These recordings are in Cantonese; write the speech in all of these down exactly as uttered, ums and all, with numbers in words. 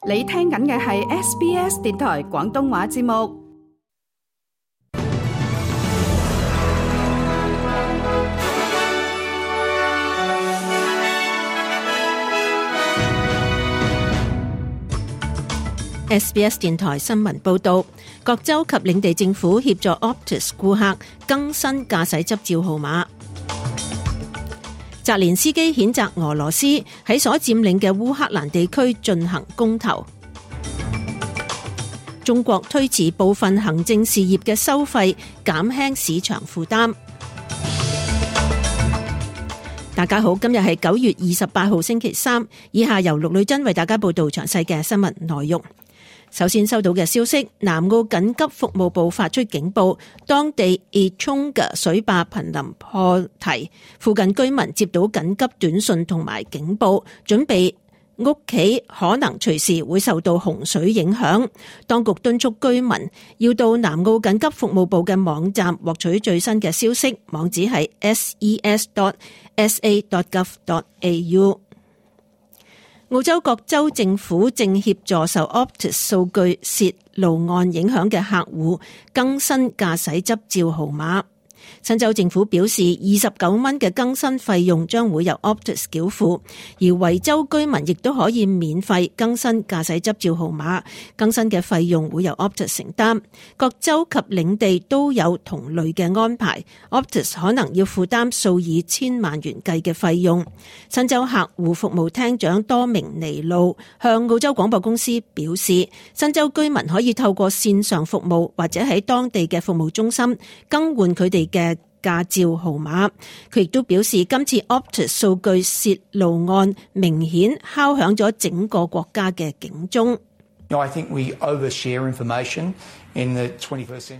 你聽緊嘅係 S B S 電台廣東話節目。S B S 電台新聞報道，各州及領地政府協助 Optus 顧客更新駕駛執照號碼。澤連斯基譴責俄羅斯喺所佔領嘅烏克蘭地區進行公投。中國推遲部分行政事業嘅收費，減輕市場負擔。大家好，今日係九月二十八號星期三，以下由陸女珍為大家報道詳細嘅新聞內容。首先收到嘅消息，南澳緊急服務部發出警報，當地 Etonga 水壩瀕臨破堤，附近居民接到緊急短信同埋警報，準備屋企可能隨時會受到洪水影響。當局敦促居民要到南澳緊急服務部嘅網站獲取最新嘅消息，網址係 s e s dot s a dot gov dot a u。澳洲各州政府正協助受 Optus 數據洩露案影響嘅客戶更新駕駛執照號碼。新州政府表示，二十九蚊嘅更新費用將會由 Optus 繳付，而維州居民亦都可以免費更新駕駛執照號碼，更新嘅費用會由 Optus 承擔。各州及領地都有同類嘅安排， Optus 可能要負擔數以千萬元計嘅費用。新州客戶服務廳長多明尼路向澳洲廣播公司表示，新州居民可以透過線上服務或者喺當地嘅服務中心更換佢哋嘅駕照號碼。佢亦都表示，今次 Optus 數據洩露案明顯敲響咗整個國家嘅警鐘。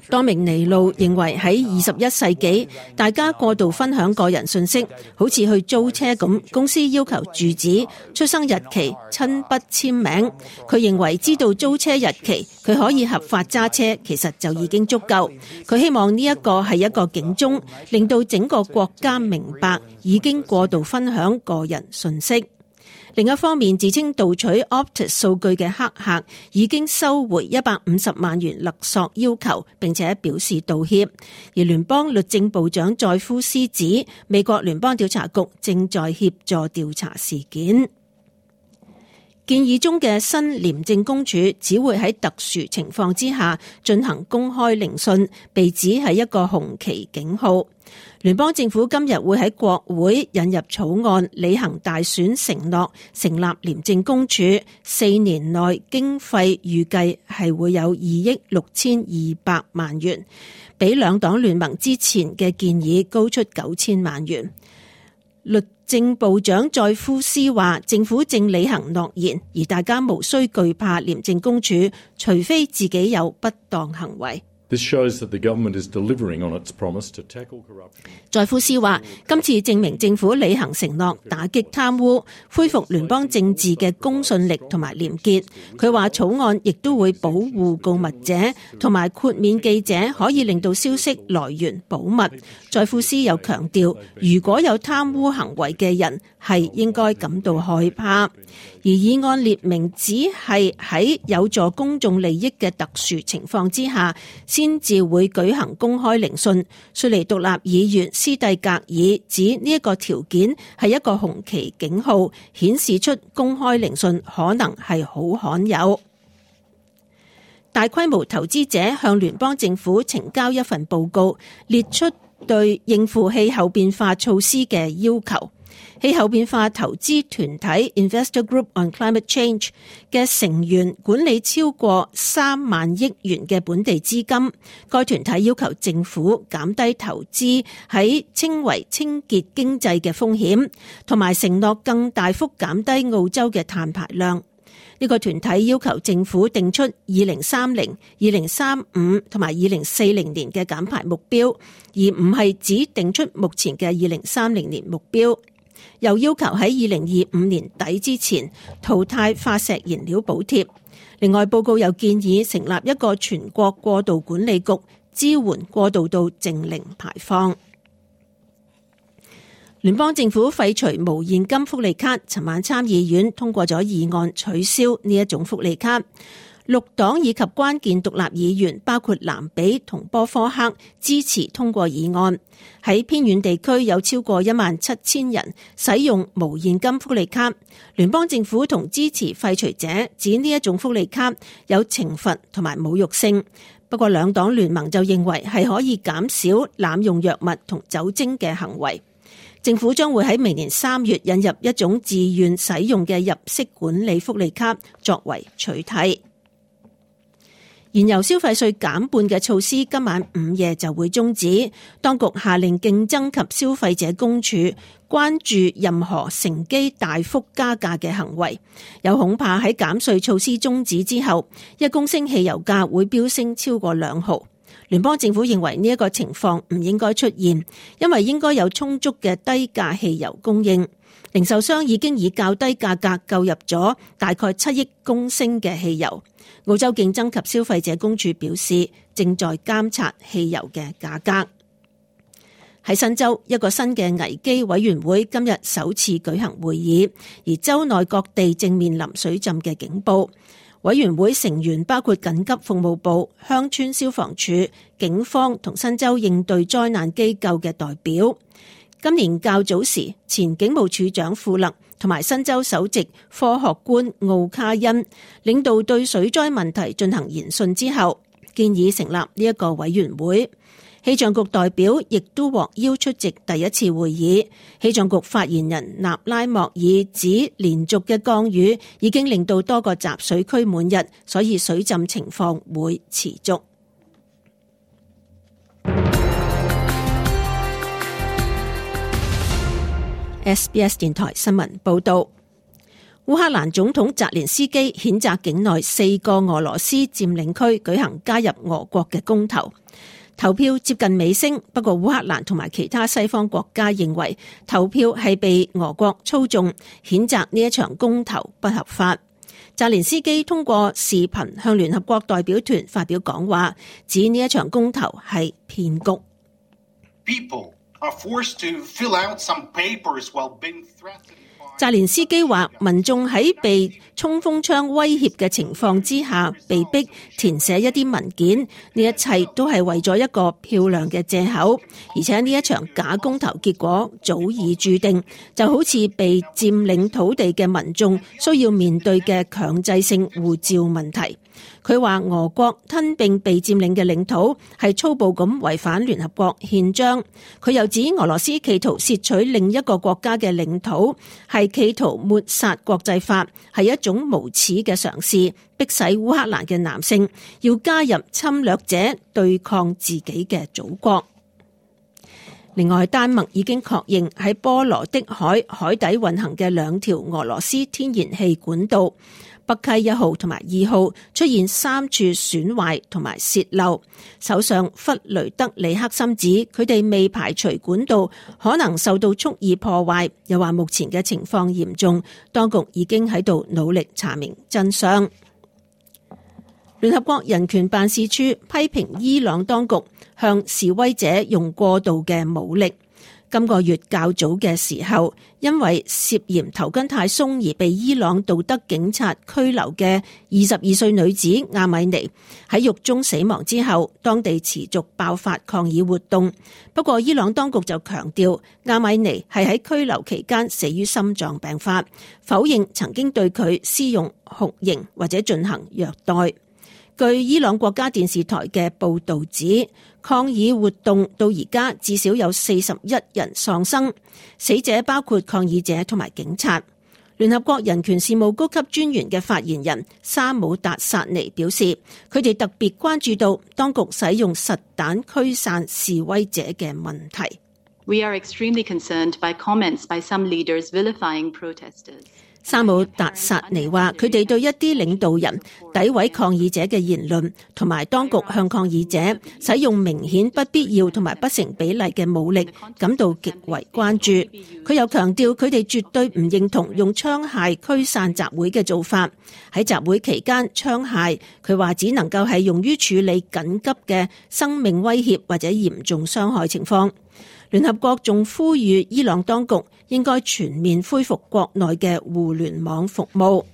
多明尼路認為喺二十一世紀，大家過度分享個人信息，好似去租車咁，公司要求住址、出生日期、親筆簽名。佢認為知道租車日期，佢可以合法揸車，其實就已經足夠。佢希望呢一個係一個警鐘，令到整個國家明白已經過度分享個人信息。另一方面，自稱盜取 Optus 數據嘅黑客已經收回一百五十萬元勒索要求，並且表示道歉。而聯邦律政部長載夫斯指，美國聯邦調查局正在協助調查事件。建議中嘅新廉政公署只會喺特殊情況之下進行公開聆訊，被指係一個紅旗警號。聯邦政府今日會喺國會引入草案，履行大選承諾，成立廉政公署。四年內經費預計係會有二億六千二百萬元，比兩黨聯盟之前嘅建議高出九千萬元。律政部長載夫斯話，政府正履行諾言，而大家無需懼怕廉政公署，除非自己有不當行為。This shows that the government is delivering on its promise to tackle corruption. 載夫斯話，今次證明政府履行承諾，打擊貪污，恢復聯邦政治嘅公信力同埋廉潔。佢話草案亦都會保護告密者，同埋豁免記者可以令到消息來源保密。載夫斯又強調，如果有貪污行為嘅人係應該感到害怕。而議案列明只係喺有助公眾利益嘅特殊情況之下，先至會舉行公開聆訊。雪梨獨立議員斯蒂格爾指呢一個條件係一個紅旗警號，顯示出公開聆訊可能係好罕有。大規模投資者向聯邦政府呈交一份報告，列出對應付氣候變化措施嘅要求。氣候變化投資團體 Investor Group on Climate Change 嘅成員管理超過三萬億元嘅本地資金。該團體要求政府減低投資喺稱為清潔經濟嘅風險，同埋承諾更大幅減低澳洲嘅碳排量。呢個團體要求政府定出二零三零、二零三五同埋二零四零年嘅減排目標，而唔係只定出目前嘅二零三零年目標。又要求喺二零二五年底之前淘汰化石燃料補貼。另外，報告又建議成立一個全國過渡管理局，支援過渡到淨零排放。聯邦政府廢除無現金福利卡，尋晚參議院通過咗議案取消呢一種福利卡。綠黨以及關鍵獨立議員包括蘭比同波科克支持通過議案。喺偏遠地區有超過一萬七千人使用無現金福利卡。聯邦政府同支持廢除者指呢一種福利卡有懲罰同埋侮辱性。不過兩黨聯盟就認為係可以減少濫用藥物同酒精嘅行為。政府將會喺明年三月引入一種自願使用嘅入息管理福利卡作為取替。燃油消費稅減半嘅措施今晚午夜就會終止。當局下令競爭及消費者公署關注任何乘機大幅加價嘅行為，有恐怕喺減稅措施終止之後，一公升汽油價會飆升超過兩毫。聯邦政府認為呢一個情況唔應該出現，因為應該有充足嘅低價汽油供應。零售商已經以較低價格購入咗大概七億公升嘅汽油。澳洲競爭及消費者公署表示，正在監察汽油嘅價格。喺新州，一個新嘅危機委員會今日首次舉行會議，而州內各地正面臨水浸嘅警報。委員會成員包括緊急服務部、鄉村消防處、警方同新州應對災難機構嘅代表。今年較早時，前警務處長富勒同埋新州首席科學官奧卡恩領導對水災問題進行研訊之後，建議成立呢一個委員會。氣象局代表亦都獲邀出席第一次會議。氣象局發言人納拉莫爾指，連續嘅降雨已經令到多個集水區滿溢，所以水浸情況會持續。S B S 電台新聞報道，烏克蘭總統澤連斯基譴責境內四個俄羅斯佔領區舉行加入俄國嘅公投。投票接近尾聲，不過烏克蘭同埋其他西方國家認為投票係被俄國操縱，譴責呢一場公投不合法。澤連斯基通過視頻向聯合國代表團發表講話，指呢一場公投係騙局。People are forced to fill out some papers while being threatened. 澤連斯基話，民眾喺被衝鋒槍威脅嘅情況之下，被逼填寫一啲文件，呢一切都係為咗一個漂亮嘅借口，而且呢一場假公投結果早已注定，就好似被佔領土地嘅民眾需要面對嘅強制性護照問題。佢話俄國吞併被佔領嘅領土係粗暴咁違反聯合國憲章。佢又指俄羅斯企圖竊取另一個國家嘅領土，係企圖抹殺國際法，係一種無恥嘅嘗試，迫使烏克蘭嘅男性要加入侵略者對抗自己嘅祖國。另外，丹麥已經確認喺波羅的海海底運行嘅兩條俄羅斯天然氣管道北溪一號同埋二號出現三處損壞同埋洩漏。首相弗雷德里克森指佢哋未排除管道可能受到蓄意破壞，又話目前嘅情況嚴重，當局已經喺度努力查明真相。聯合國人權辦事處批評伊朗當局向示威者用過度嘅武力。今個月較早嘅時候，因為涉嫌頭巾太鬆而被伊朗道德警察拘留嘅二十二歲女子阿米尼喺獄中死亡之後，當地持續爆發抗議活動。不過伊朗當局就強調阿米尼係喺拘留期間死於心臟病發，否認曾經對佢施用酷刑或者進行虐待。據伊朗國家電視台嘅報導指，抗議活動到而家至少有四十一人喪生，死者包括抗議者同埋警察。聯合國人權事務高級專員嘅發言人沙姆達薩尼表示，佢哋特別關注到當局使用實彈驅散示威者嘅問題。We are extremely concerned by comments by some leaders vilifying protesters. 沙姆達薩尼話，佢哋對一啲領導人詆毀抗議者嘅言論，同埋當局向抗議者使用明顯不必要同埋不成比例嘅武力感到極為關注。佢又強調，佢哋絕對唔認同用槍械驅散集會嘅做法。喺集會期間，槍械佢話只能夠係用於處理緊急嘅生命威脅或者嚴重傷害情況。聯合國仲呼籲伊朗當局應該全面恢復國內嘅互聯網服務。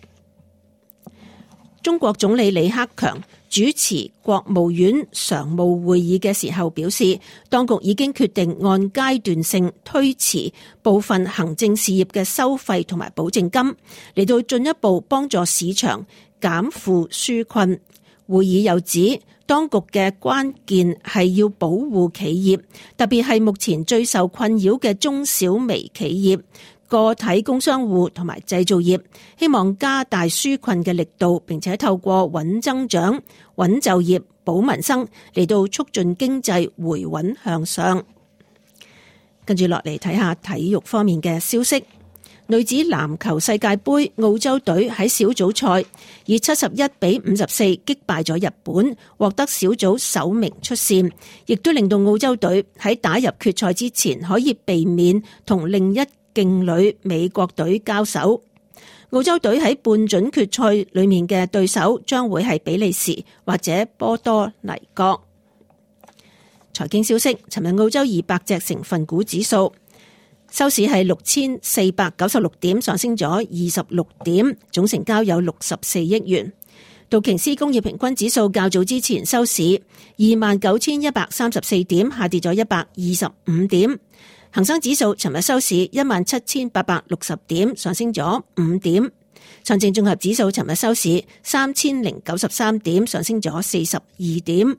中國總理李克強主持國務院常務會議嘅時候表示，當局已經決定按階段性推遲部分行政事業嘅收費同埋保證金，嚟到進一步幫助市場減負紓困。會議又指，當局嘅關鍵係要保護企業，特別係目前最受困擾嘅中小微企業、個體工商戶同埋製造業，希望加大紓困嘅力度，並且透過穩增長、穩就業、保民生嚟到促進經濟回穩向上。跟住落嚟睇下體育方面嘅消息。女子籃球世界盃，澳洲隊喺小組賽以七十一比五十四擊敗咗日本，獲得小組首名出線，亦都令到澳洲隊喺打入決賽之前可以避免同另一勁旅美國隊交手。澳洲隊喺半準決賽裏面嘅對手將會係比利時或者波多黎各。財經消息，尋日澳洲二百隻成分股指數收市係六千四百九十六點，上升咗二十六點，總成交有六十四億元。道瓊斯工業平均指數較早之前收市二萬九千一百三十四點，下跌咗一百二十五點。恒生指數尋日收市一萬七千八百六十點，上升咗五點。上證綜合指數尋日收市三千零九十三點，上升咗四十二點。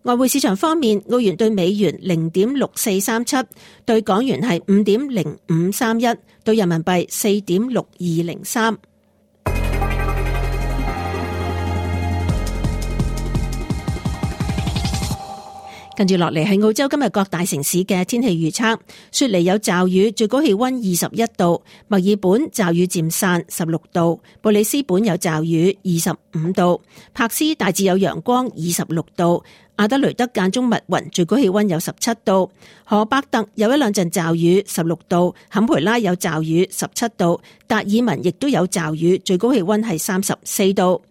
外匯市場方面，澳元對美元零點六四三七，對港元係五點零五三一，對人民幣四點六二零三。跟住落嚟係澳洲今日各大城市嘅天氣預測。雪梨有驟雨，最高氣溫二十一度；墨爾本驟雨漸散，十六度；布里斯本有驟雨，二十五度；柏斯大致有陽光，二十六度；阿德雷德間中密雲，最高氣溫有十七度；荷伯特有一兩陣驟雨，十六度；坎培拉有驟雨，十七度；達爾文亦都有驟雨，最高氣溫係三十四度。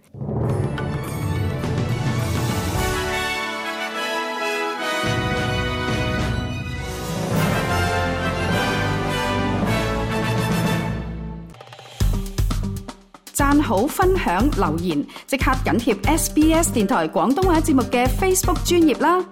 讚好、分享、留言，即刻緊貼 S B S 電台廣東話節目嘅 Facebook 專頁啦！